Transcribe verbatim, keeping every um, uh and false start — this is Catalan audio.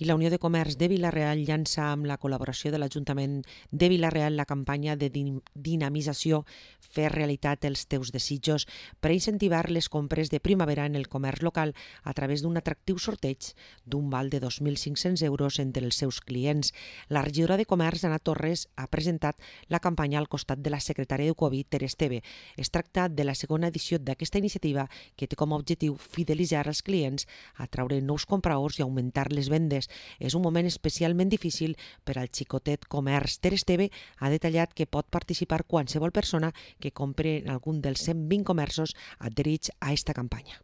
I la Unió de Comerç de Vila-real llança amb la col·laboració de l'Ajuntament de Vila-real la campanya de dinamització Fer realitat els teus desitjos per a incentivar les compres de primavera en el comerç local a través d'un atractiu sorteig d'un val de dos mil cinc-cents euros entre els seus clients. La regidora de Comerç, Ana Torres, ha presentat la campanya al costat de la secretària de Covid, Ter Esteve. Es tracta de la segona edició d'aquesta iniciativa que té com a objectiu fidelitzar els clients, atraure nous compradors i augmentar les vendes. És un moment especialment difícil per al xicotet comerç. Ter Esteve ha detallat que pot participar qualsevol persona que compre en algun dels cent vint comerços adherits a esta campanya.